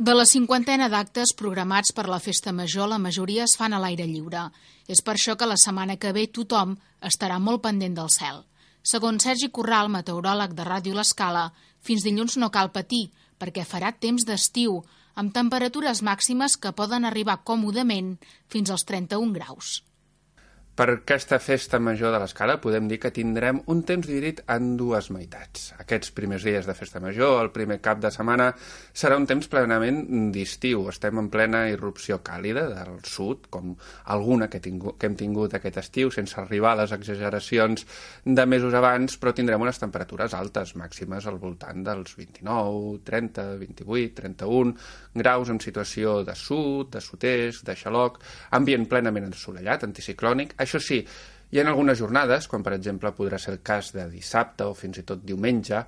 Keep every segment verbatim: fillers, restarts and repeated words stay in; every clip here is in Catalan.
De la cinquantena d'actes programats per la Festa Major, la majoria es fan a l'aire lliure. És per això que la setmana que ve tothom estarà molt pendent del cel. Segons Sergi Corral, meteoròleg de Ràdio L'Escala, fins dilluns no cal patir, perquè farà temps d'estiu, amb temperatures màximes que poden arribar còmodament fins als trenta-un graus. Per aquesta festa major de l'Escala podem dir que tindrem un temps dividit en dues meitats. Aquests primers dies de festa major, el primer cap de setmana, serà un temps plenament d'estiu. Estem en plena irrupció càlida del sud, com alguna que, tingu, que hem tingut aquest estiu, sense arribar a les exageracions de mesos abans, però tindrem unes temperatures altes, màximes al voltant dels vint-i-nou, trenta, vint-i-vuit, trenta-un graus en situació de sud, de sud-est, de xaloc, ambient plenament assolellat, anticiclònic. Això sí, hi ha algunes jornades, com per exemple podrà ser el cas de dissabte o fins i tot diumenge,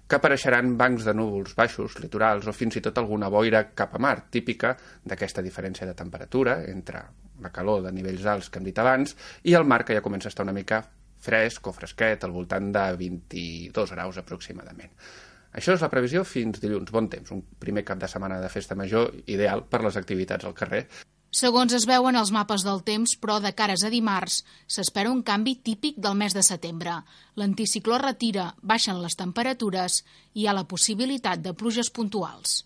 que apareixeran bancs de núvols baixos, litorals o fins i tot alguna boira cap a mar, típica d'aquesta diferència de temperatura entre la calor de nivells alts que hem dit abans i el mar, que ja comença a estar una mica fresc o fresquet, al voltant de vint-i-dos graus aproximadament. Això és la previsió fins dilluns. Bon temps, un primer cap de setmana de festa major ideal per les activitats al carrer. Segons es veuen els mapes del temps, però de cares a dimarts, s'espera un canvi típic del mes de setembre. L'anticicló retira, baixen les temperatures i hi ha la possibilitat de pluges puntuals.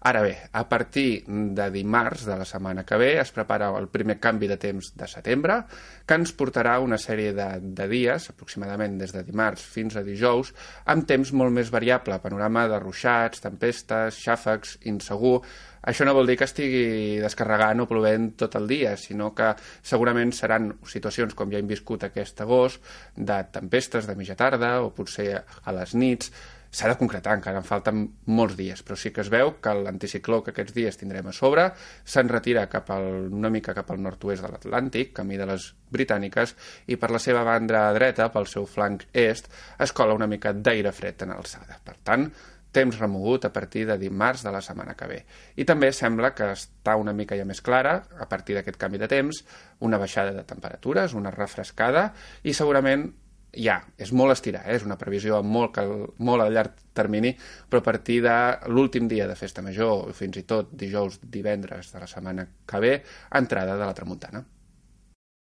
Ara bé, a partir de dimarts de la setmana que ve es prepara el primer canvi de temps de setembre, que ens portarà una sèrie de, de dies, aproximadament des de dimarts fins a dijous, amb temps molt més variable, panorama de ruixats, tempestes, xàfecs, insegur. Això no vol dir que estigui descarregant o plovent tot el dia, sinó que segurament seran situacions, com ja hem viscut aquest agost, de tempestes de mitja tarda o potser a les nits. S'ha de concretar, encara en falten molts dies, però sí que es veu que l'anticicló que aquests dies tindrem a sobre se'n retira cap al, una mica cap al nord-oest de l'Atlàntic, camí de les Britàniques, i per la seva banda dreta, pel seu flanc est, es cola una mica d'aire fred en alçada. Per tant, temps remogut a partir de dimarts de la setmana que ve. I també sembla que està una mica ja més clara, a partir d'aquest canvi de temps, una baixada de temperatures, una refrescada, i segurament ja, és molt estirar, eh? És una previsió molt, molt a llarg termini, però a partir de l'últim dia de festa major, fins i tot dijous, divendres de la setmana que ve, entrada de la tramuntana.